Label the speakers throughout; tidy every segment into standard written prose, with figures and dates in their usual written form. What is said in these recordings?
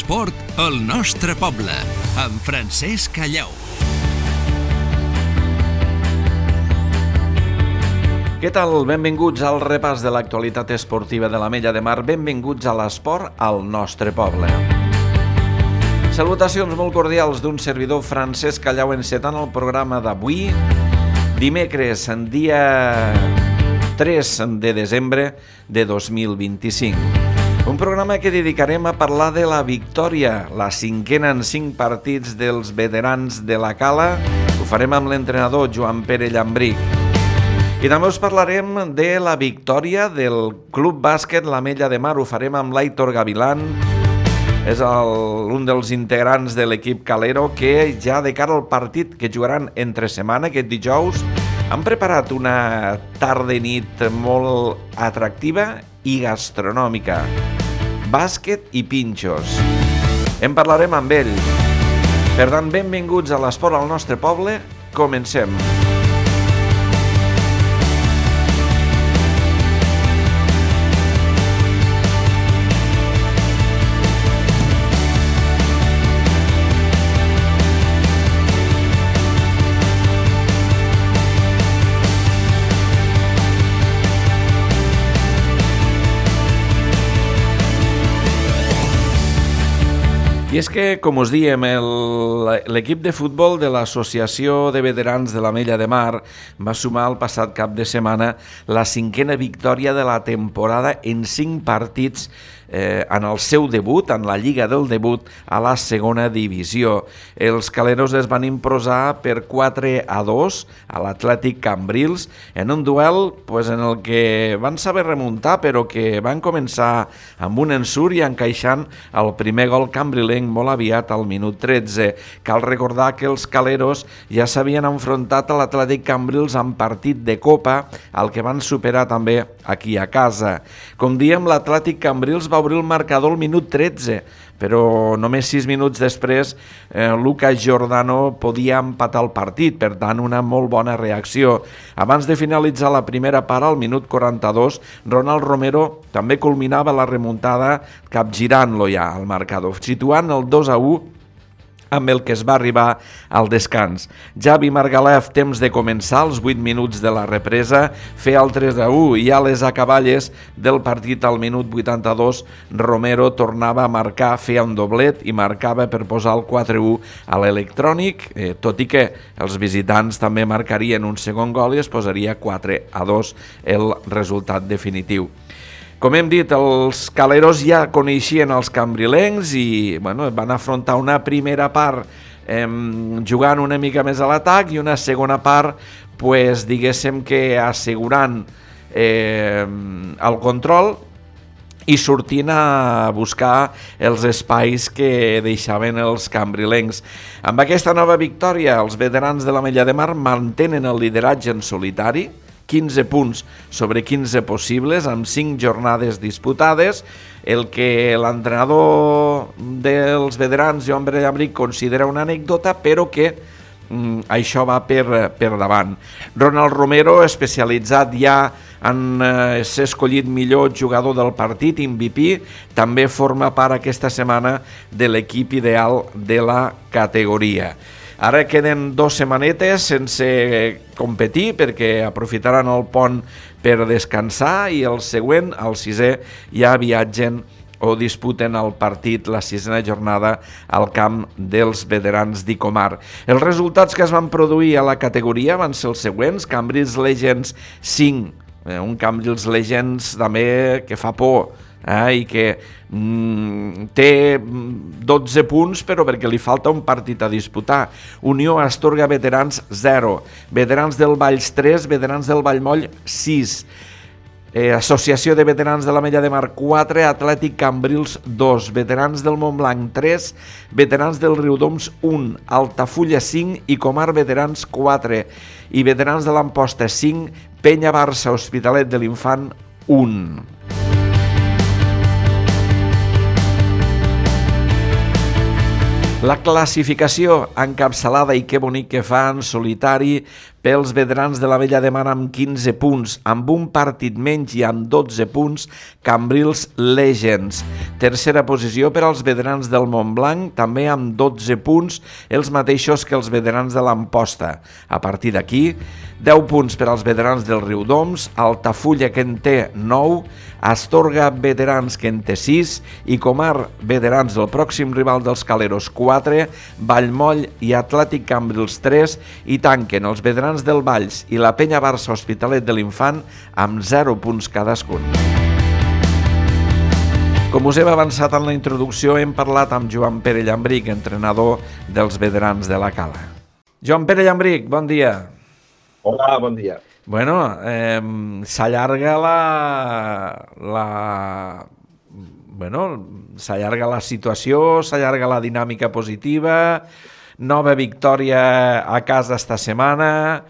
Speaker 1: l'esport al nostre poble, amb Francesc Callau.
Speaker 2: Què tal? Benvinguts al repàs de l'actualitat esportiva de l'Ametlla de Mar. Benvinguts a l'esport al nostre poble. Salutacions molt cordials d'un servidor, Francesc Callau, encetant el programa d'avui, dimecres, dia 3 de desembre de 2025. Un programa que dedicarem a parlar de la victòria, la cinquena en 5 partits dels veterans de la Cala. Ho farem amb l'entrenador Joan Pere Llambric. I també us parlarem de la victòria del Club Bàsquet l'Ametlla de Mar. Ho farem amb l'Aitor Gavilán. És un dels integrants de l'equip calero que ja de cara al partit que jugaran entre setmana, aquest dijous, han preparat una tarda i nit molt atractiva i gastronòmica. Bàsquet i pinxos. En parlarem amb ell. Per tant, benvinguts a l'esport al nostre poble. Comencem. I és que, com us diem, l'equip de futbol de l'Associació de Veterans de l'Ametlla de Mar va sumar el passat cap de setmana la cinquena victòria de la temporada en 5 partits en el seu debut, en la Lliga del Debut, a la segona divisió. Els caleros es van imposar per 4-2 a l'Atlètic Cambrils en un duel en el que van saber remuntar, però que van començar amb un ensurt i encaixant el primer gol cambrilenc molt aviat al minut 13. Cal recordar que els caleros ja s'havien enfrontat a l'Atlètic Cambrils en partit de Copa, al que van superar també aquí a casa. Com diem, l'Atlètic Cambrils va obrir el marcador al minut 13, però només 6 minuts després Lucas Giordano podia empatar el partit, per tant una molt bona reacció. Abans de finalitzar la primera part, al minut 42, Ronald Romero també culminava la remuntada capgirant-lo ja al marcador, situant el 2-1 amb el que es va arribar al descans. Javi Margalef, temps de començar, als 8 minuts de la represa, feia el 3-1 i a les acaballes del partit al minut 82 Romero tornava a marcar, feia un doblet i marcava per posar el 4-1 a l'electrònic, tot i que els visitants també marcarien un segon gol i es posaria 4-2 el resultat definitiu. Com hem dit, els caleros ja coneixien els cambrilencs i van afrontar una primera part jugant una mica més a l'atac i una segona part, diguéssim que assegurant el control i sortint a buscar els espais que deixaven els cambrilencs. Amb aquesta nova victòria, els veterans de l'Ametlla de Mar mantenen el lideratge en solitari, 15 punts sobre 15 possibles, amb 5 jornades disputades, el que l'entrenador dels veterans, Joan Pere Llambric, considera una anècdota, però que això va per davant. Ronald Romero, especialitzat ja en ser escollit millor jugador del partit, MVP, també forma part aquesta setmana de l'equip ideal de la categoria. Ara queden 2 setmanetes sense competir perquè aprofitaran el pont per descansar i el següent, el 6è, ja viatgen o disputen el partit, la 6a jornada, al camp dels veterans d'Icomar. Els resultats que es van produir a la categoria van ser els següents: Cambrils Legends 5, un Cambrils Legends també que fa por, i que té 12 punts però perquè li falta un partit a disputar. Unió Astorga Veterans 0, Veterans del Valls 3, Veterans del Vallmoll 6, Associació de Veterans de l'Ametlla de Mar 4, Atlètic Cambrils 2, Veterans del Montblanc 3, Veterans del Riudoms 1, Altafulla 5, Icomar Veterans 4 i Veterans de l'Amposta 5, Penya Barça Hospitalet de l'Infant 1. La classificació encapçalada, i que bonic que fa, en solitari Pels veterans de la Vella de Mar amb 15 punts, amb un partit menys i amb 12 punts, Cambrils Legends. Tercera posició per als veterans del Montblanc, també amb 12 punts, els mateixos que els veterans de l'Amposta. A partir d'aquí, 10 punts per als veterans del Riudoms, Altafulla, que en té 9, Astorga Veterans, que en té 6, i Comar Veterans, del pròxim rival dels Caleros, 4, Vallmoll i Atlètic Cambrils 3, i tanquen els veterans del Valls i la Penya Barça Hospitalet de l'Infant amb 0 punts cadascun. Com us hem avançat en la introducció, hem parlat amb Joan Pere Llambric, entrenador dels veterans de la Cala. Joan Pere Llambric, bon dia.
Speaker 3: Hola, bon dia.
Speaker 2: Bueno, s'allarga s'allarga la situació, s'allarga la dinàmica positiva, nova victòria a casa esta setmana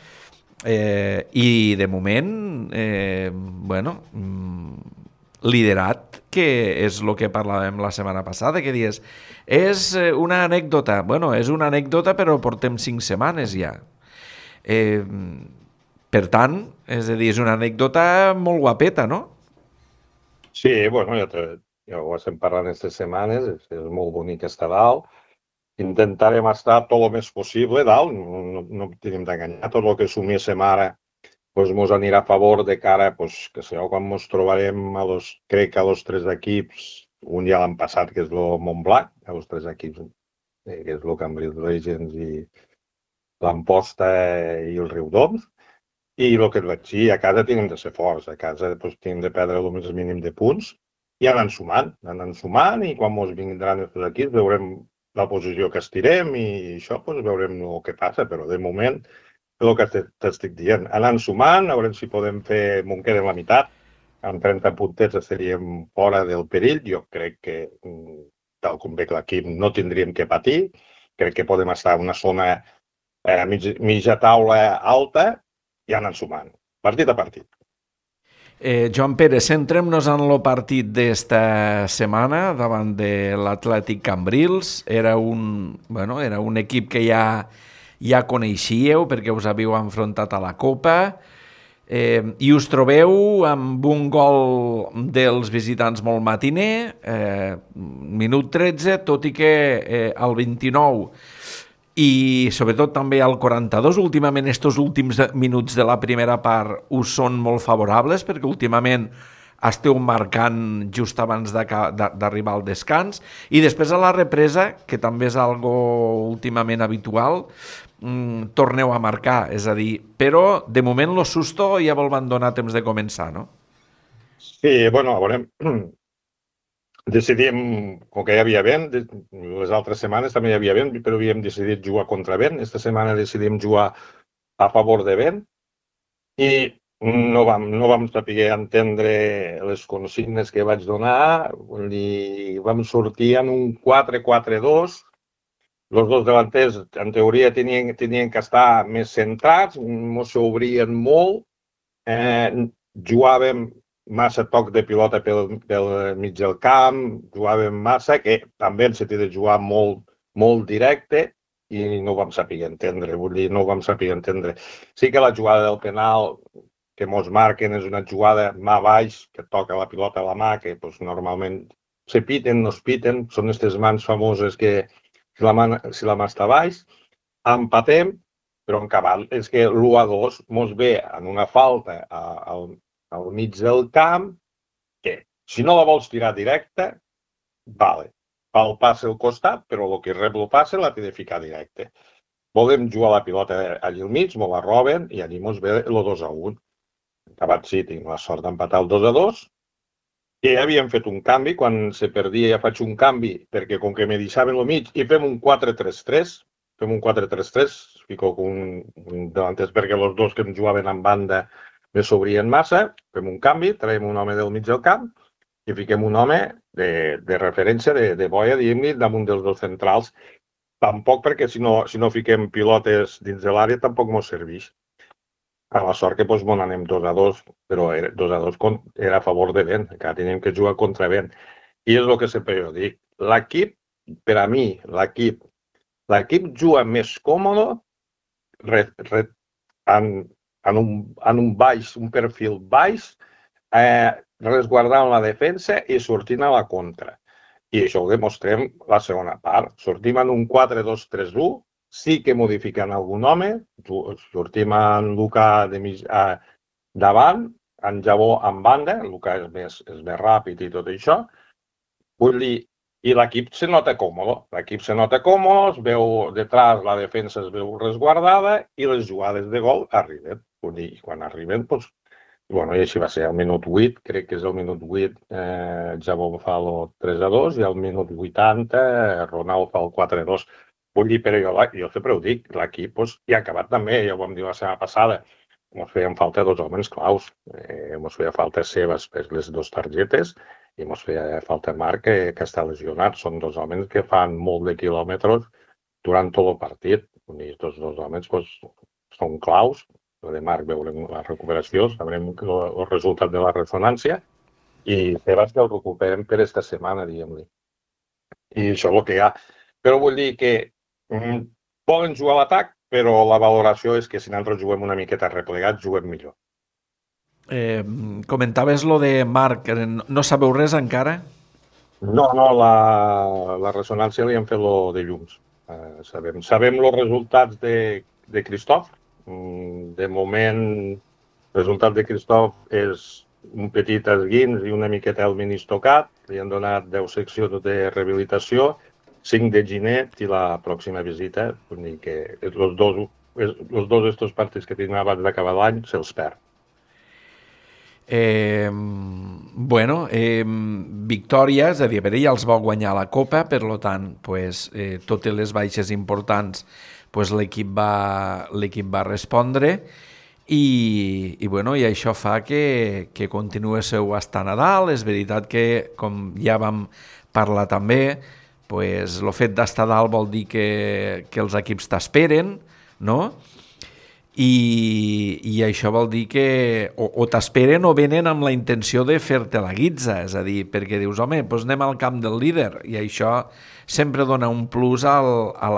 Speaker 2: i de moment, liderat, que és el que parlàvem la setmana passada, que dius, és una anècdota, és una anècdota però portem 5 setmanes ja. Per tant, és a dir, és una anècdota molt guapeta, no?
Speaker 3: Sí, ja ho estem parlant aquestes setmanes, és molt bonic estar dalt. Intentarem estar tot el més possible dalt, no tenim d'enganyar, tot el que suméssim ara ens anirà a favor de cara, que sabeu, quan ens trobarem, crec que a los 3 equips, un ja l'han passat, que és el Montblanc, a los 3 equips, que és el Cambrils Legends i l'Amposta i el Riudoms. I el que et vaig dir, a casa tenim de ser forts, a casa tenim de perdre el més mínim de punts i anar sumant i quan ens vindran els equips veurem la posició que estirem i això veurem el que passa, però de moment és el que t'estic dient. Anar sumant, a veure si podem fer, m'ho queda la meitat, amb 30 puntets estaríem fora del perill, jo crec que tal com veig l'equip no tindríem que patir, crec que podem estar en una zona mitja taula alta i anar sumant, partit a partit.
Speaker 2: Joan Pere, centrem-nos en el partit d'esta setmana davant de l'Atlètic Cambrils. Era un equip que ja coneixíeu perquè us havíeu enfrontat a la Copa i us trobeu amb un gol dels visitants molt matiner, minut 13, tot i que al 29 i sobretot també al 42, últimament estos últims minuts de la primera part us són molt favorables perquè últimament esteu marcant just abans d'arribar al descans i després a la represa, que també és algo últimament habitual, torneu a marcar, és a dir, però de moment lo susto ja vol donar temps de començar, no?
Speaker 3: Sí, a veure, decidíem, com que hi havia vent, les altres setmanes també hi havia vent, però havíem decidit jugar contra vent. Esta setmana decidíem jugar a favor de vent i no vam saber entendre les consignes que vaig donar i vam sortir en un 4-4-2. Els dos delanters, en teoria, tenien que estar més centrats, no s'obrien molt, jugàvem massa toc de pilota pel mig del camp, jugàvem massa, que també s'ha de jugar molt directe i no ho vam saber entendre, Sí que la jugada del penal que mos marquen és una jugada mà baix, que toca la pilota a la mà, que normalment se piten, no es piten, són aquestes mans famoses que si la mà està baix, empatem, però en cabal és que l'1-2 mos ve en una falta al mig del camp, que si no la vols tirar directa, vale, fa el passe al costat, però el que rep el passe l'ha de ficar directe. Volem jugar la pilota allà al mig, me la roben i allà mos ve el 2-1. Acabat sí, tinc la sort d'empatar el 2-2. I havíem fet un canvi, quan se perdia ja faig un canvi, perquè com que me deixaven el mig i fem un 4-3-3, fico un delanters perquè els dos que em jugaven en banda me s'obrien massa, fem un canvi, traiem un home del mig del camp i fiquem un home de referència, de boia, diguem-ne, damunt dels dos centrals. Tampoc perquè si no fiquem pilotes dins de l'àrea tampoc mos serveix. A la sort que m'ho anem 2-2, però 2-2 era a favor de vent, encara teníem que jugar contra vent. I és el que sempre jo dic. L'equip, per a mi, l'equip juga més còmode en un baix, un perfil baix, resguardant la defensa i sortint a la contra. I això ho demostrem la segona part. Sortim en un 4-2-3-1, sí que modificant algun home, sortim en Luka davant, en Jabó en banda, Luka és més ràpid i tot això. Vull dir, i l'equip se nota còmode. L'equip se nota còmode, es veu detrás, la defensa es veu resguardada i les jugades de gol arriben. Vull dir, quan arriben, doncs, bueno, i així va ser al minut 8, crec que és el minut 8, Jabó fa el 3-2 i al minut 80 Ronald fa el 4-2. Vull dir, però jo sempre ho dic, l'equip ja ha acabat també, ja ho vam dir la setmana passada, ens feien falta 2 homes claus, ens feia falta Sebas per les 2 targetes i ens feia falta Marc, que està lesionat. Són 2 homes que fan molt de quilòmetres durant tot el partit. I tots 2 homes són claus. De Marc veurem la recuperació, sabrem el resultat de la ressonància i Sebas que el recuperem per esta setmana, diguem-li. I això és el que hi ha. Però vull dir que poden jugar a l'atac, però la valoració és que si nosaltres juguem una miqueta replegats, juguem millor.
Speaker 2: Comentaves lo de Marc, no sabeu res encara?
Speaker 3: No, la ressonància li han fet lo de llums. Sabem els resultats de Christoph. De moment, el resultat de Christoph és un petit esguins i una miqueta el menis tocat. Li han donat 10 seccions de rehabilitació, 5 de ginet i la pròxima visita. Vull dir que els dos estos partits que tenim abans d'acabar l'any se'ls perd.
Speaker 2: Victòria, és a dir, ja els va guanyar la Copa, per tant, totes les baixes importants l'equip va respondre i això fa que continuéssiu estant a dalt. És veritat que, com ja vam parlar també, el fet d'estar a dalt vol dir que els equips t'esperen, no? I això vol dir que o t'esperen o venen amb la intenció de fer-te la guitza, és a dir, perquè dius, home, doncs anem al camp del líder, i això sempre dona un plus a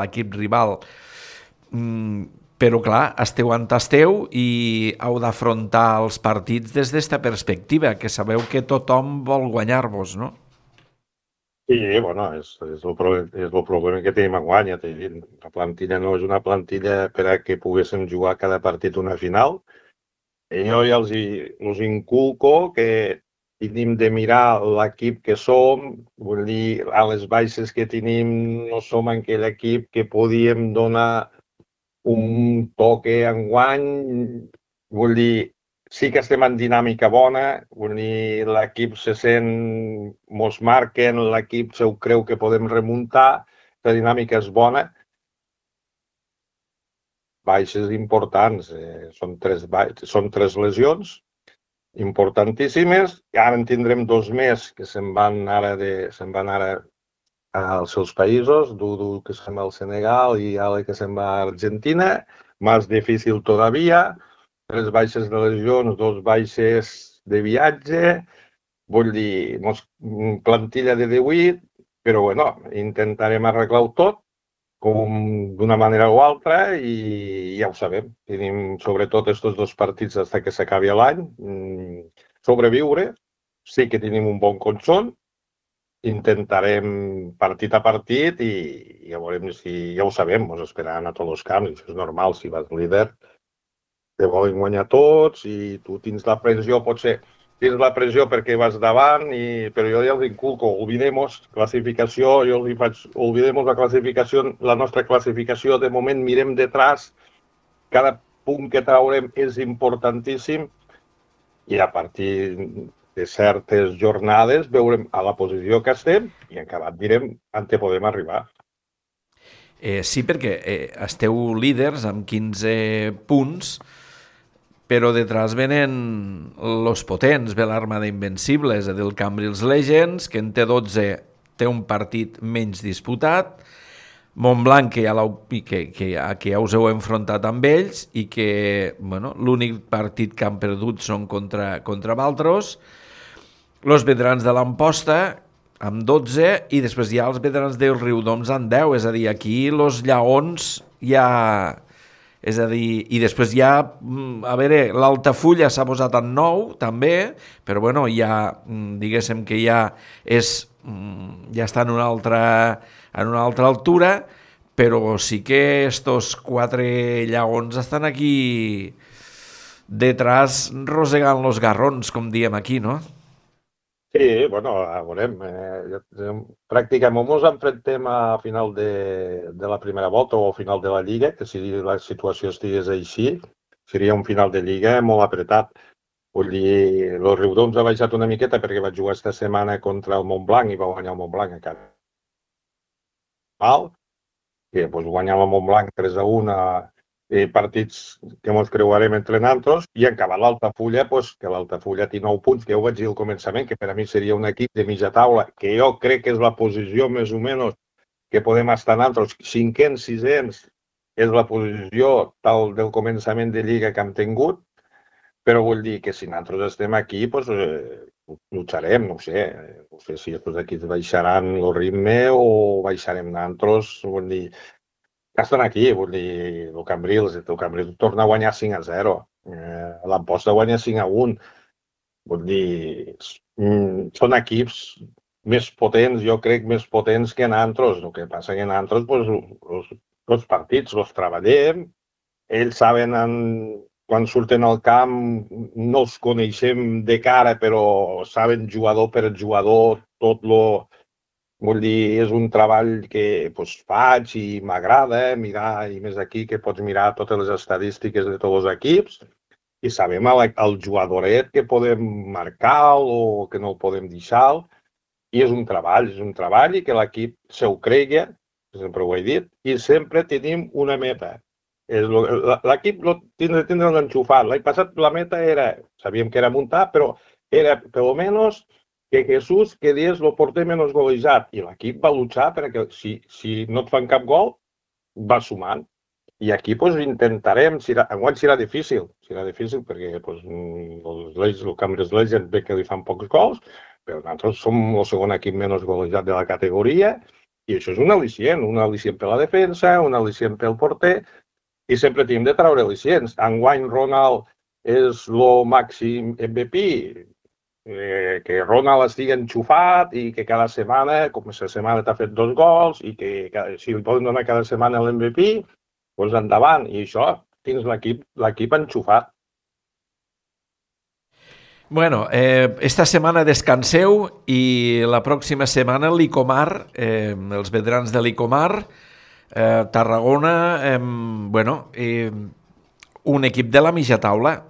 Speaker 2: l'equip rival. Però clar, esteu on esteu i heu d'afrontar els partits des d'esta perspectiva, que sabeu que tothom vol guanyar-vos, no?
Speaker 3: Sí, bueno, és el problema que tenim enguany, ja t'he dit. La plantilla no és una plantilla per a que poguéssim jugar cada partit una final. Jo ja els inculco que tenim de mirar l'equip que som, vull dir, a les baixes que tenim no som aquell equip que podíem donar un toque enguany, vull dir, sí que estem en dinàmica bona, vull dir, l'equip se sent, mos marquen, l'equip se ho creu que podem remuntar, la dinàmica és bona. Baixes importants, són 3 lesions importantíssimes, i ara en tindrem 2 més que se'n van ara als seus països, Dudu que se'n va al Senegal i Ale que se'n va a Argentina, més difícil todavía, 3 baixes de lesions, 2 baixes de viatge, vull dir, plantilla de 18, però bueno, intentarem arreglar-ho tot d'una manera o altra i ja ho sabem. Tenim sobretot aquests 2 partits fins que s'acabi l'any, sobreviure, sí que tenim un bon conjunt, intentarem partit a partit i ja veurem si ja ho sabem, ens esperaran a tots els camps, això és normal, si vas líder te volen guanyar tots i tu tens la pressió, potser tens la pressió perquè vas davant, però jo ja els inculco, olvidemos classificació, jo els faig, olvidemos la nostra classificació, de moment mirem detrás, cada punt que traurem és importantíssim i a partir de certes jornades veurem a la posició que estem i en acabat direm on podem arribar.
Speaker 2: Sí, perquè esteu líders amb 15 punts, però detrás venen los potents, ve l'Armada Invencible, és a dir, el Cambrils Legends, que en té 12, té un partit menys disputat, Montblanc, que ja us heu enfrontat amb ells i que l'únic partit que han perdut són contra Valtros, els veterans de l'Amposta amb 12 i després hi ha els veterans del Riudoms amb 10, és a dir, aquí els lleons ja És a dir, i després ja, a veure, l'Altafulla s'ha posat en 9, també, però bueno, ja, diguéssim que ja està en una altra altura, però sí que estos 4 llaons estan aquí detrás rosegant los garrons, com diem aquí, no?
Speaker 3: Sí, bueno, veurem. Pràcticament ens enfrontem a final de la primera volta o a final de la Lliga, que si la situació estigués així, seria un final de Lliga molt apretat. Vull dir, el Riudoms ha baixat una miqueta perquè va jugar esta setmana contra el Montblanc i va guanyar el Montblanc a casa. Que doncs, guanyava el Montblanc 3-1 partits que ens creuarem entre nosaltres, i en acabar l'Altafulla, que l'Altafulla té 9 punts, que ja ho vaig dir al començament, que per a mi seria un equip de mitja taula, que jo crec que és la posició més o menys que podem estar nosaltres, 5ens, 6ens, és la posició tal del començament de Lliga que hem tingut, però vull dir que si nosaltres estem aquí, lucharem, no sé si els equips baixaran el ritme o baixarem nosaltres, vull dir, que estan aquí, vull dir, el Cambrils torna a guanyar 5-0, l'Amposta guanya 5-1, vull dir, són equips més potents, jo crec, més potents que nosaltres. El que passa que nosaltres, els partits els treballem, ells saben, quan surten al camp, no els coneixem de cara, però saben jugador per jugador, vull dir, és un treball que faig i m'agrada mirar, i més aquí que pots mirar totes les estadístiques de tots els equips i sabem el jugadoret que podem marcar o que no el podem deixar, i és un treball i que l'equip s'ho cregui, sempre ho he dit, i sempre tenim una meta. L'equip tindrà l'enxufat. L'any passat la meta sabíem que era muntar, però era, per almenys, que Jesús quedés el porter menys golejat, i l'equip va luchar perquè si no et fan cap gol, va sumant. I aquí intentarem, enguany serà difícil perquè el Cambrils Legends ve que li fan pocs gols, però nosaltres som el segon equip menys golejat de la categoria, i això és un al·licient per la defensa, un al·licient pel porter, i sempre tenim de treure al·licients. Enguany Ronald és el màxim MVP, que Ronald estigui enxufat i que cada setmana, com aquesta setmana t'ha fet 2 gols, i que si li poden donar cada setmana l'MVP, doncs endavant. I això, tens l'equip enxufat.
Speaker 2: Bueno, esta setmana descanseu i la pròxima setmana l'Icomar, els veterans de l'Icomar, Tarragona, un equip de la mitja taula.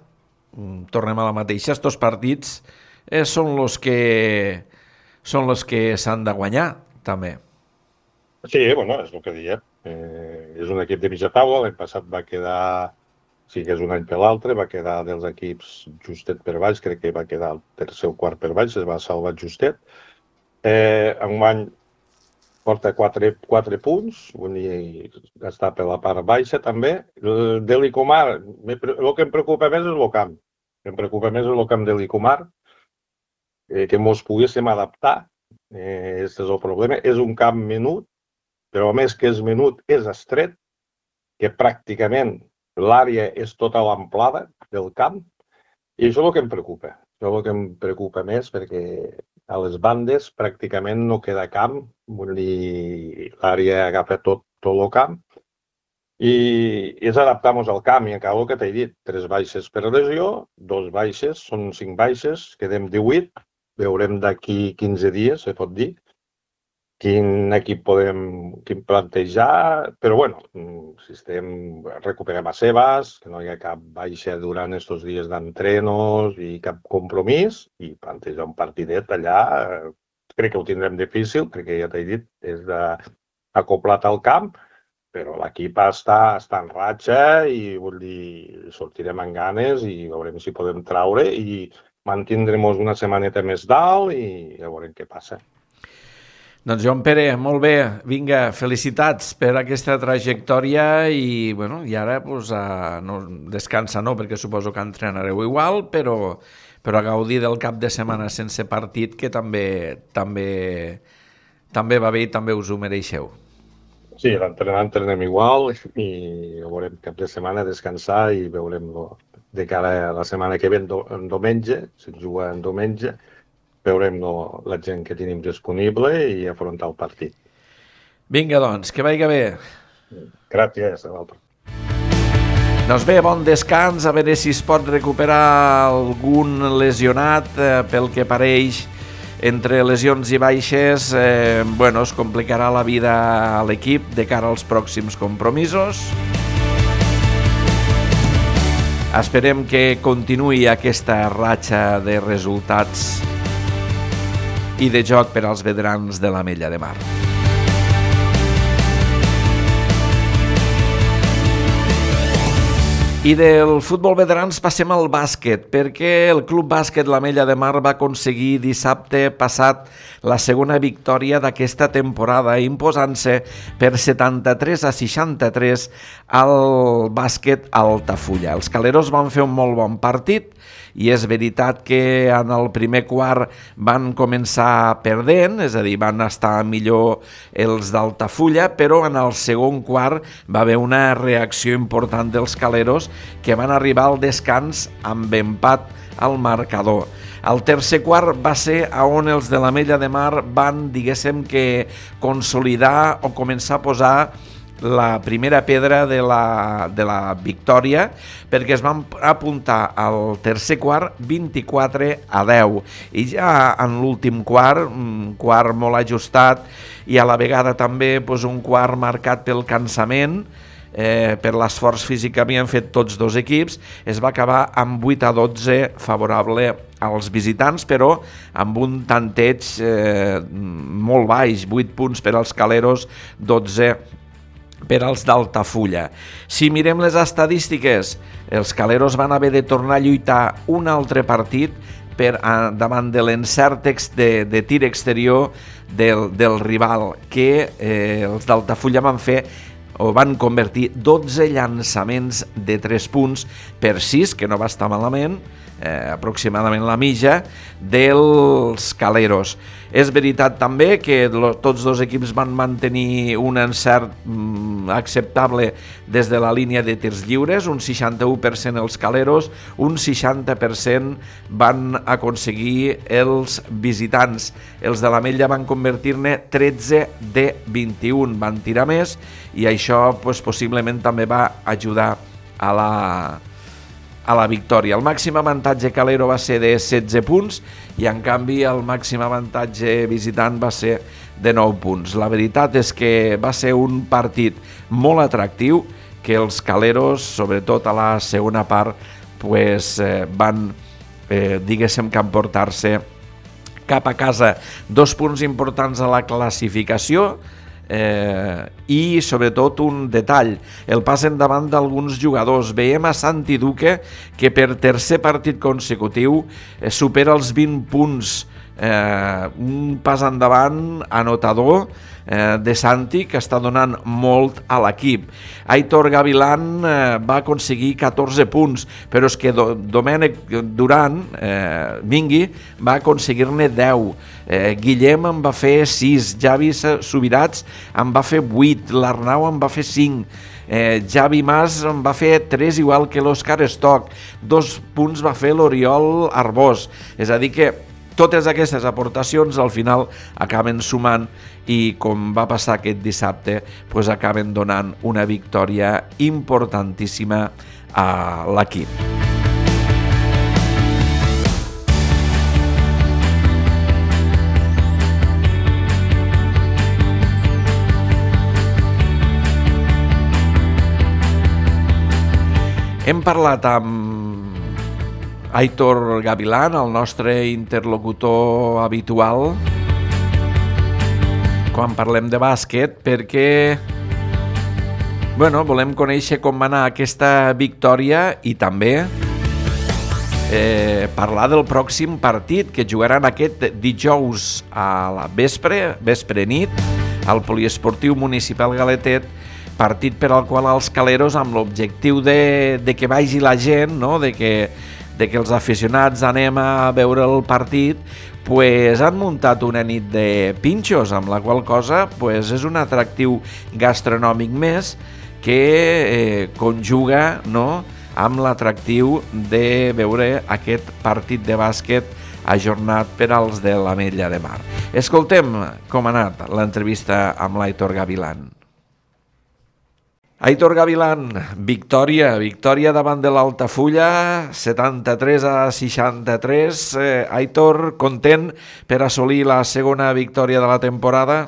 Speaker 2: Tornem a la mateixa, estos partits són els que s'han de guanyar, també.
Speaker 3: Sí, bueno, és el que diem. És un equip de mitja taula. L'any passat va quedar, sí que és un any per l'altre, va quedar dels equips justet per baix, crec que va quedar el tercer o quart per baix, es va salvar justet. Enguany porta 4 punts, vull dir, està per la part baixa també. De l'Icomar, el que em preocupa més és el camp. De l'Icomar, que ens poguéssim adaptar. Aquest és el problema. És un camp menut, però a més que és menut, és estret, que pràcticament l'àrea és tota l'amplada del camp, i això és el que em preocupa. Això és el que em preocupa més, perquè a les bandes pràcticament no queda camp, vull dir, l'àrea agafa tot el camp, i és adaptar-nos al camp, i acabo el que t'he dit, 3 baixes per lesió, 2 baixes, són 5 baixes, quedem 18, veurem d'aquí 15 dies, se pot dir, quin equip podem plantejar, però bueno, si recuperem a Sebas, que no hi ha cap baixa durant aquests dies d'entrenos i cap compromís, i plantejar un partidet allà, crec que ho tindrem difícil, perquè ja t'he dit, és acoplat al camp, però l'equip està en ratxa i vull dir, sortirem amb ganes i veurem si podem traure i mantindrem una setmaneta més dalt i ja veurem què passa.
Speaker 2: Doncs Joan Pere, molt bé, vinga, felicitats per aquesta trajectòria i, bueno, i ara no, descansa no, perquè suposo que entrenareu igual, però a gaudir del cap de setmana sense partit, que també va bé i també us ho mereixeu.
Speaker 3: Sí, l'entrenament entrenem igual i veurem cap de setmana descansar i veurem de cara a la setmana que ve en diumenge, si juga en diumenge, veurem la gent que tenim disponible i afrontar el partit.
Speaker 2: Vinga, doncs, que vagi bé.
Speaker 3: Gràcies, a l'altre.
Speaker 2: Doncs bé, bon descans, a veure si es pot recuperar algun lesionat, pel que pareix, entre lesions i baixes, es complicarà la vida a l'equip de cara als pròxims compromisos. Esperem que continuï aquesta ratxa de resultats i de joc per als veterans de l'Ametlla de Mar. I del futbol veterans passem al bàsquet, perquè el Club Bàsquet l'Ametlla de Mar va aconseguir dissabte passat la segona victòria d'aquesta temporada, imposant-se per 73-63 al bàsquet Altafulla. Els caleros van fer un molt bon partit i és veritat que en el primer quart van començar perdent, és a dir, van estar millor els d'Altafulla, però en el segon quart va haver una reacció important dels caleros que van arribar al descans amb empat al marcador. El tercer quart va ser on els de l'Ametlla de Mar van, diguéssim, que consolidar o començar a posar la primera pedra de la victòria, perquè es van apuntar al tercer quart 24-10 i ja en l'últim quart, un quart molt ajustat i a la vegada també un quart marcat pel cansament, per l'esforç físic que havien fet tots dos equips, es va acabar amb 8-12 favorable als visitants, però amb un tanteig molt baix, 8 punts per als caleros, 12 per als d'Altafulla. Si mirem les estadístiques, els caleros van haver de tornar a lluitar un altre partit davant de l'encert de tir exterior del rival, que els d'Altafulla van convertir 12 llançaments de 3 punts per 6, que no va estar malament, aproximadament la mitja dels caleros. És veritat també que tots dos equips van mantenir un encert acceptable des de la línia de tirs lliures, un 61% els caleros, un 60% van aconseguir els visitants. Els de l'Ametlla van convertir-ne 13 de 21, van tirar més i això possiblement també va ajudar a la victòria. El màxim avantatge calero va ser de 16 punts i en canvi el màxim avantatge visitant va ser de 9 punts. La veritat és que va ser un partit molt atractiu que els caleros, sobretot a la segona part, van, diguéssim, que emportar-se cap a casa 2 punts importants a la classificació, i sobretot un detall, el pas endavant d'alguns jugadors. Veiem a Santi Duque que per tercer partit consecutiu supera els 20 punts, un pas endavant anotador de Santi que està donant molt a l'equip. Aitor Gavilán va aconseguir 14 punts, però és que Domènec Duran, Mingui, va aconseguir-ne 10. Guillem en va fer 6, Javi Subirats en va fer 8, l'Arnau en va fer 5, Javi Mas en va fer 3 igual que l'Òscar Stock, 2 punts va fer l'Oriol Arbós. És a dir que totes aquestes aportacions al final acaben sumant i, com va passar aquest dissabte, acaben donant una victòria importantíssima a l'equip. Hem parlat amb Aitor Gavilán, el nostre interlocutor habitual, quan parlem de bàsquet, perquè volem conèixer com va anar aquesta victòria i també parlar del pròxim partit que jugaran aquest dijous a la vespre nit, al Poliesportiu Municipal Galetet, partit per al qual els caleros, amb l'objectiu de que vagi la gent, no? de de que els aficionats anem a veure el partit, pues han muntat una nit de pinxos, amb la qual cosa pues, és un atractiu gastronòmic més que conjuga, no?, amb l'atractiu de veure aquest partit de bàsquet ajornat per als de l'Ametlla de Mar. Escoltem com ha anat l'entrevista amb l'Aitor Gavilán. Aitor Gavilán, victòria davant de l'Altafulla, 73-63. Aitor, content per assolir la segona victòria de la temporada?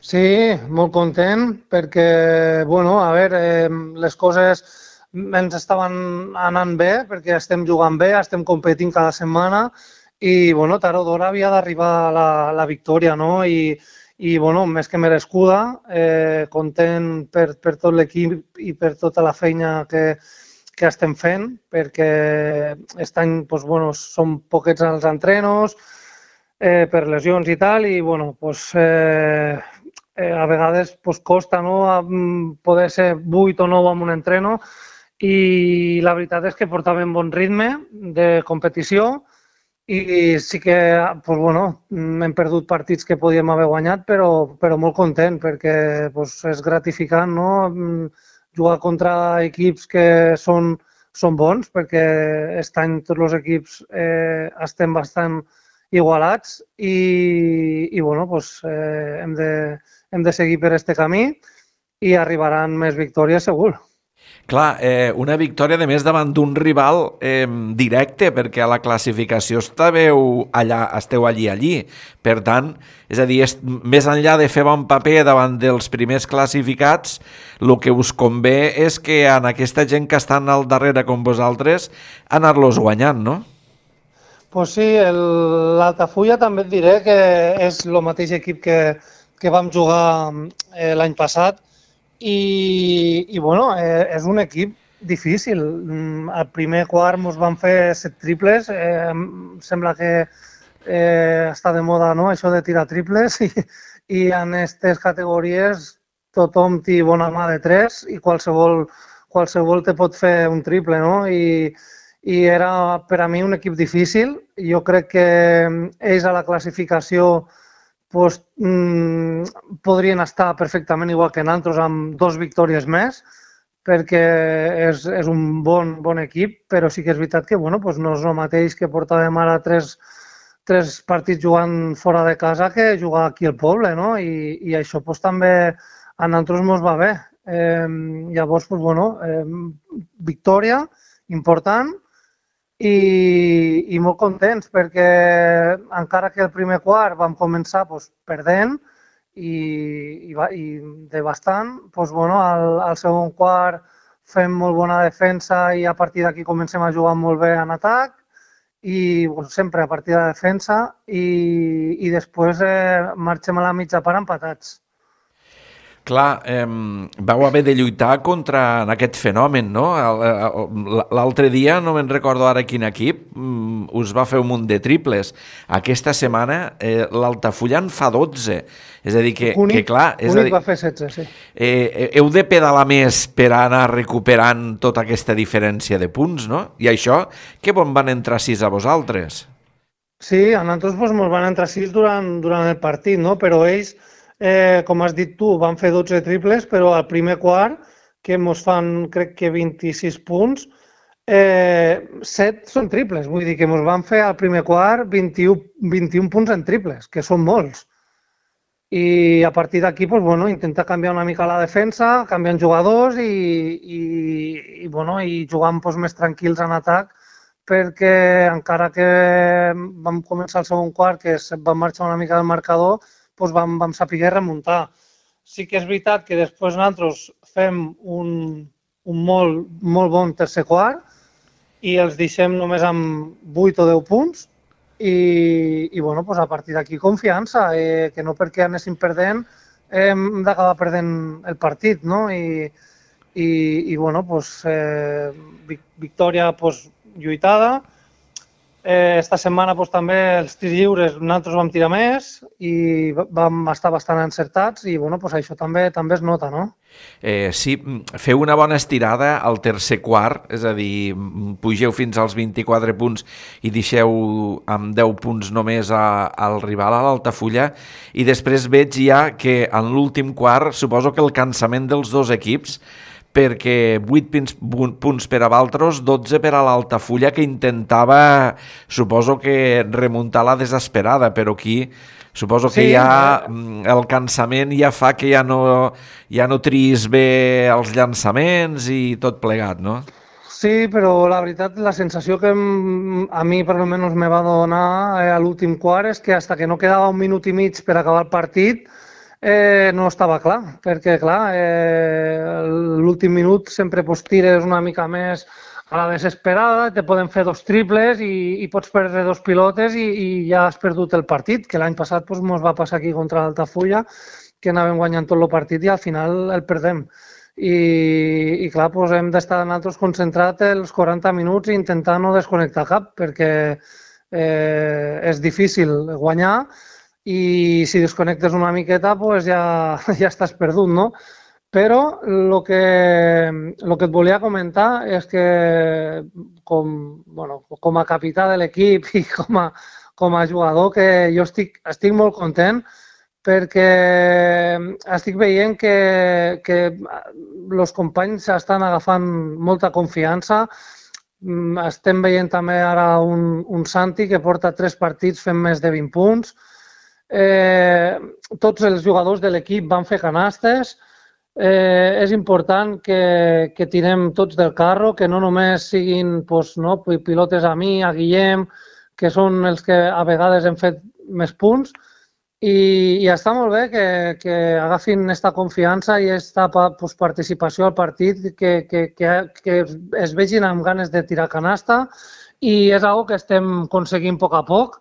Speaker 4: Sí, molt content perquè, bueno, a veure, les coses ens estaven anant bé perquè estem jugant bé, estem competint cada setmana i, bueno, tard o d'hora havia d'arribar la victòria, no? I bueno, més que merescuda, content per tot l'equip i per tota la feina que estem fent, perquè aquest any doncs, bueno, som poquets als entrenos, per lesions i tal, i bueno, doncs, a vegades doncs, costa, no?, poder ser 8 o 9 en un entreno, i la veritat és que portàvem bon ritme de competició, i sí que pues, bueno, hem perdut partits que podíem haver guanyat, però molt content perquè pues, és gratificant, no?, jugar contra equips que són bons, perquè aquest any tots els equips estem bastant igualats i bueno, pues, hem de seguir per aquest camí i arribaran més victòries segur.
Speaker 2: Clar, una victòria de més davant d'un rival directe, perquè a la classificació esteu allí. Per tant, és a dir, més enllà de fer bon paper davant dels primers classificats, el que us convé és que en aquesta gent que estan al darrere com vosaltres, anar-los guanyant, no?
Speaker 4: Pues sí, l'Altafulla també et diré que és el mateix equip que vam jugar l'any passat, i bueno, és un equip difícil. Al primer quart ens van fer 7 triples, sembla que està de moda, no?, això de tirar triples, i en aquestes categories tothom té bona mà de 3 i qualsevol te pot fer un triple, no? I era per a mi un equip difícil. Jo crec que ells a la classificació pues, podrien estar perfectament igual que nosaltres amb 2 victòries més, perquè és un bon equip, però sí que és veritat que bueno, pues no és el mateix que portàvem ara 3 partits jugant fora de casa que jugar aquí al poble, no? I això pues, també a nosaltres ens va bé. Llavors, pues, bueno, victòria important, i molt contents perquè encara que el primer quart vam començar doncs, perdent i de bastant, doncs, bueno, al segon quart fem molt bona defensa i a partir d'aquí comencem a jugar molt bé en atac i doncs, sempre a partir de la defensa i després marxem a la mitja part empatats.
Speaker 2: Clar, vau haver de lluitar contra aquest fenomen, no? L'altre dia, no me'n recordo ara quin equip, us va fer un munt de triples. Aquesta setmana l'Altafulla en fa 12. És a dir, que clar...
Speaker 4: Únic va fer 16, sí.
Speaker 2: Heu de pedalar més per anar recuperant tota aquesta diferència de punts, no? I això, que on van entrar 6 a vosaltres?
Speaker 4: Sí, a nosaltres ens van entrar 6 durant el partit, no? Però ells... com has dit tu, van fer 12 triples, però al primer quart, que ens fan, crec que 26 punts, 7 són triples. Vull dir que ens van fer al primer quart 21 punts en triples, que són molts. I a partir d'aquí, doncs, bueno, intentar canviar una mica la defensa, canviant jugadors i jugant doncs, més tranquils en atac, perquè encara que vam començar el segon quart, que vam marxar una mica del marcador, doncs vam saber remuntar. Sí que és veritat que després nosaltres fem un molt bon tercer quart i els deixem només amb 8 o 10 punts i bueno, doncs a partir d'aquí confiança, que no perquè anéssim perdent hem d'acabar perdent el partit, no? I bueno, doncs, victòria doncs, lluitada, Esta setmana també els tirs lliures nosaltres vam tirar més i vam estar bastant encertats i això també es nota, no?
Speaker 2: Sí, feu una bona estirada al tercer quart, és a dir, pugeu fins als 24 punts i deixeu amb 10 punts només al rival a l'Altafulla i després veig ja que en l'últim quart suposo que el cansament dels dos equips perquè 8 punts per a Valtros, 12 per a l'Altafulla, que intentava, suposo que remuntar la desesperada, però aquí suposo que ja el cansament ja fa que ja no triïs bé els llançaments i tot plegat, no?
Speaker 4: Sí, però la veritat, la sensació que a mi per almenys me va donar a l'últim quart és que fins que no quedava 1 minut i mig per acabar el partit no estava clar, perquè clar, l'últim minut sempre tires una mica més a la desesperada, te poden fer 2 triples i pots perdre 2 pilotes i ja has perdut el partit, que l'any passat ens va passar aquí contra l'Altafulla, que anàvem guanyant tot el partit i al final el perdem. I clar, hem d'estar nosaltres concentrats els 40 minuts i intentar no desconnectar cap, perquè és difícil guanyar i si desconnectes una miqueta ja estàs perdut, no? Però el que et volia comentar és que com a capità de l'equip i com a jugador que jo estic molt content perquè estic veient que els companys estan agafant molta confiança. Estem veient també ara un Santi que porta 3 partits fent més de 20 punts. Tots els jugadors de l'equip van fer canastes. És important que tirem tots del carro, que no només siguin pilotes a mi, a Guillem, que són els que a vegades hem fet més punts. I està molt bé que agafin aquesta confiança i aquesta participació al partit, que es vegin amb ganes de tirar canasta i és una cosa que estem aconseguint a poc a poc,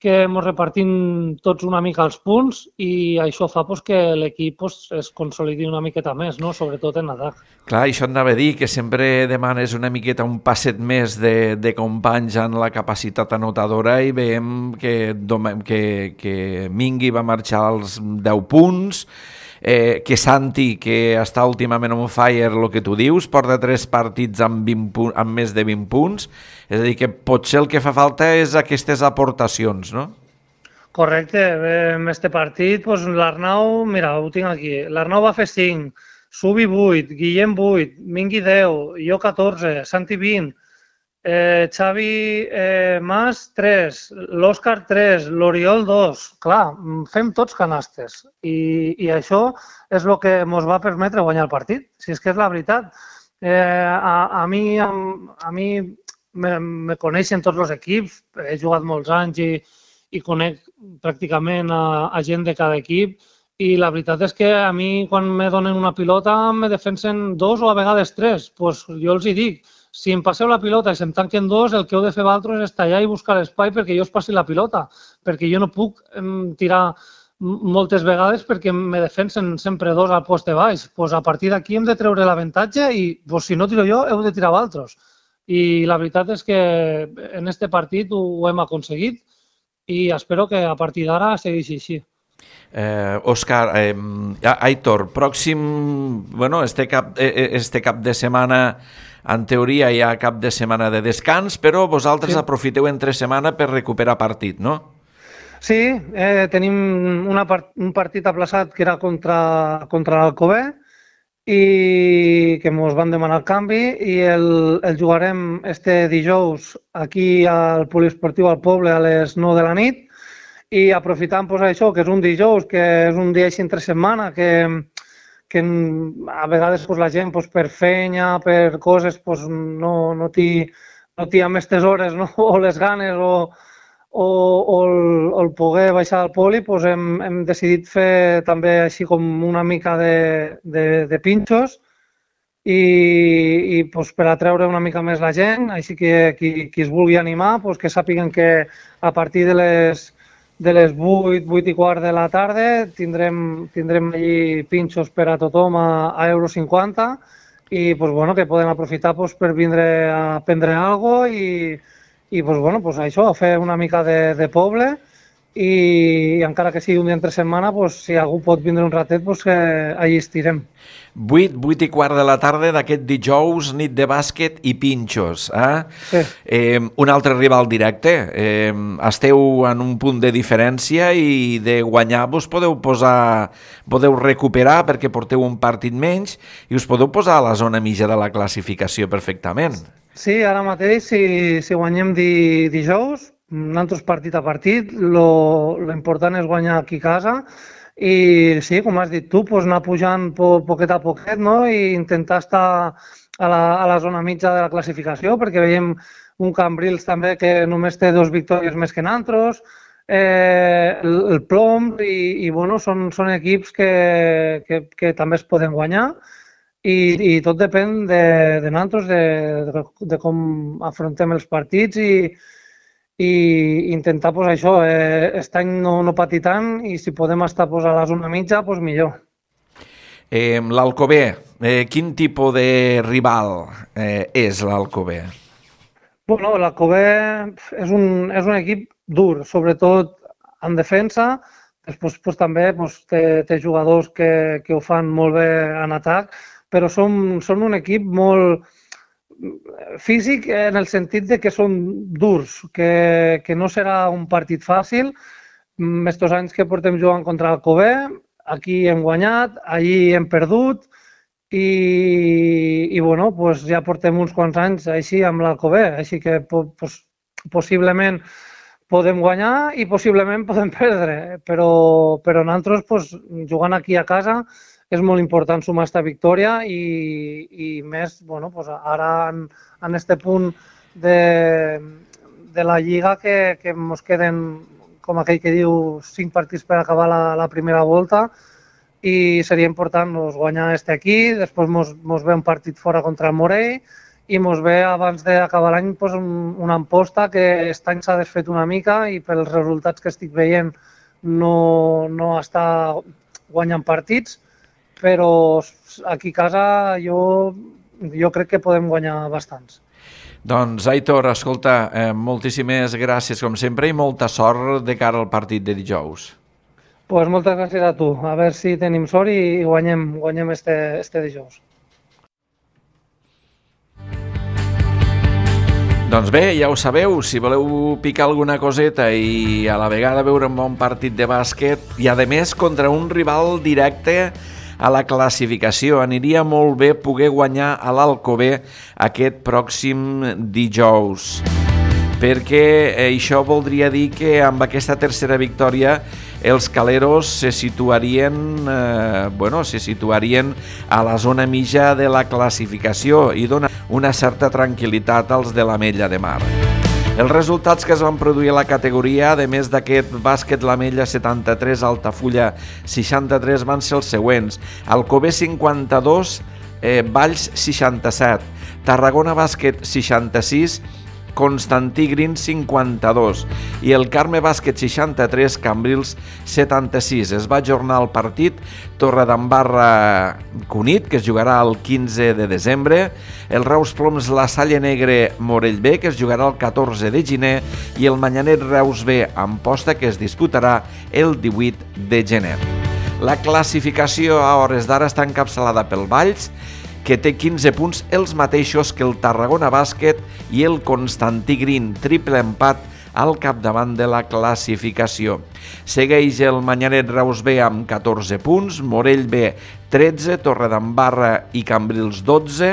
Speaker 4: que ens repartim tots una mica els punts i això fa que l'equip es consolidi una miqueta més, no? Sobretot en atac.
Speaker 2: Clar, això et anava a dir, que sempre demanes una miqueta un passet més de companys en la capacitat anotadora i veiem que Mingui va marxar als 10 punts, que Santi, que està últimament on fire, el que tu dius, porta 3 partits amb més de 20 punts, és a dir, que potser el que fa falta és aquestes aportacions, no?
Speaker 4: Correcte, en este partit, l'Arnau, mira, ho tinc aquí, l'Arnau va fer 5, Subi 8, Guillem 8, Mingui 10, jo 14, Santi 20, Xavi Mas 3, l'Òscar 3, l'Oriol 2. Clar, fem tots canastes i això és el que ens va permetre guanyar el partit, si és que és la veritat. A mi me coneixen tots els equips, he jugat molts anys i conec pràcticament a gent de cada equip i la veritat és que a mi quan me donen una pilota me defensen 2 o a vegades 3. Jo els hi dic, si em passeu la pilota i se'm tanquen 2, el que heu de fer vosaltres és tallar i buscar l'espai perquè jo us passi la pilota, perquè jo no puc tirar moltes vegades perquè me defensen sempre 2 al poste baix. A partir d'aquí hem de treure l'avantatge i si no tiro jo, heu de tirar vosaltres. I la veritat és que en aquest partit ho hem aconseguit i espero que a partir d'ara segueixi així.
Speaker 2: Òscar, Aitor, pròxim, este cap de setmana, en teoria hi ha cap de setmana de descans, però vosaltres aprofiteu entre setmana per recuperar partit, no?
Speaker 4: Sí, tenim un partit aplaçat que era contra l'Alcover i que ens van demanar el canvi i el jugarem este dijous aquí al Poliesportiu al Poble a les 9 de la nit i aprofitant això, que és un dijous, que és un dia així entre setmana, que a vegades la gent per feina, per coses, no té amb aquestes hores o les ganes o el poder baixar al poli, hem decidit fer també així com una mica de pinxos i per atreure una mica més la gent, així que qui es vulgui animar, que sàpiguen que a partir de les 8 i quart de la tarda tindrem allí pinxos per a tothom a €50 i que poden aprofitar per vindre a prendre alguna cosa i doncs, bueno, doncs això, fer una mica de poble i encara que sigui un dia entre setmana, doncs, si algú pot vindre un ratet, doncs que allí estirem.
Speaker 2: 8:15 de la tarda d'aquest dijous, nit de bàsquet i pinxos.
Speaker 4: Sí.
Speaker 2: Un altre rival directe. Esteu en un punt de diferència i de guanyar vos podeu recuperar perquè porteu un partit menys i us podeu posar a la zona mitja de la classificació perfectament.
Speaker 4: Sí, ara mateix, si guanyem dijous, nosaltres partit a partit, l'important és guanyar aquí a casa i sí, com has dit tu, doncs anar pujant poquet a poquet, no? I intentar estar a la zona mitja de la classificació, perquè veiem un Cambrils també que només té 2 victòries més que nosaltres, el Plom i bueno, són equips que també es poden guanyar i tot depèn de nosaltres, de com afrontem els partits i intentar, doncs, això, aquest any no patir tant i si podem estar a la zona mitja, doncs millor.
Speaker 2: L'Alcover, quin tipus de rival és l'Alcover?
Speaker 4: Bueno, l'Alcover és un equip dur, sobretot en defensa, després també té jugadors que ho fan molt bé en atac, però són un equip molt físic en el sentit de que són durs, que no serà un partit fàcil. Estos anys que portem jugant contra l'Alcover, aquí hem guanyat, allí hem perdut i bueno, pues ja portem uns quants anys així amb l'Alcover, així que possiblement podem guanyar i possiblement podem perdre, però nosaltres pues, jugant aquí a casa és molt important sumar aquesta victòria i més, bueno, pues ara en este punt de la Lliga que ens queden, com aquell que diu, 5 partits per acabar la primera volta i seria important guanyar aquí, després ens ve un partit fora contra el Morell i ens ve abans d'acabar l'any una Amposta que aquest any s'ha desfet una mica i pels resultats que estic veient no està guanyant partits, però aquí a casa jo crec que podem guanyar bastants.
Speaker 2: Doncs, Aitor, escolta, moltíssimes gràcies com sempre i molta sort de cara al partit de dijous.
Speaker 4: Pues moltes gràcies a tu. A veure si tenim sort i guanyem este dijous.
Speaker 2: Doncs bé, ja ho sabeu, si voleu picar alguna coseta i a la vegada veure un bon partit de bàsquet i a més contra un rival directe a la classificació, aniria molt bé poder guanyar a l'Alcover aquest pròxim dijous, perquè això voldria dir que amb aquesta tercera victòria els caleros se situarien a la zona mitja de la classificació i dona una certa tranquil·litat als de l'Ametlla de Mar. Els resultats que es van produir a la categoria, a més d'aquest bàsquet l'Ametlla 73, Altafulla 63, van ser els següents. Alcover 52, Valls 67, Tarragona Bàsquet 66, Constantí Green 52 i el Carme Bàsquet 63, Cambrils 76. Es va ajornar el partit Torredembarra Cunit, que es jugarà el 15 de desembre, el Reus Ploms La Salle Negre Morell B, que es jugarà el 14 de gener, i el Manyanet Reus B Amposta, que es disputarà el 18 de gener. La classificació a hores d'ara està encapçalada pel Valls, que té 15 punts, els mateixos que el Tarragona Bàsquet i el Constantí Green, triple empat al capdavant de la classificació. Segueix el Manyanet Reus B amb 14 punts, Morell B 13, Torredembarra i Cambrils 12,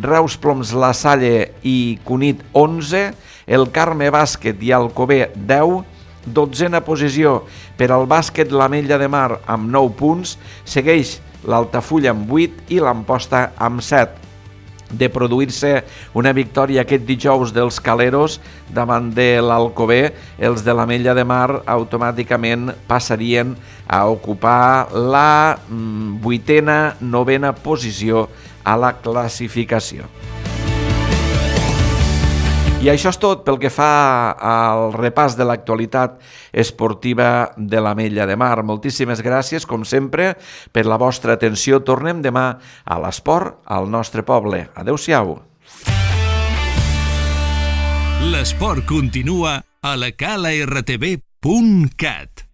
Speaker 2: Reus Ploms La Salle i Cunit 11, el Carme Bàsquet i Alcover 10, 12a posició per al Bàsquet l'Ametlla de Mar amb 9 punts, segueix l'Altafulla amb 8 i l'Amposta amb 7. De produir-se una victòria aquest dijous dels caleros davant de l'Alcover, els de l'Ametlla de Mar automàticament passarien a ocupar la 8a, 9a posició a la classificació. I això és tot pel que fa al repàs de l'actualitat esportiva de l'Ametlla de Mar. Moltíssimes gràcies, com sempre, per la vostra atenció. Tornem demà a l'esport al nostre poble. Adéu-siau.
Speaker 1: L'esport continua a la calartb.cat.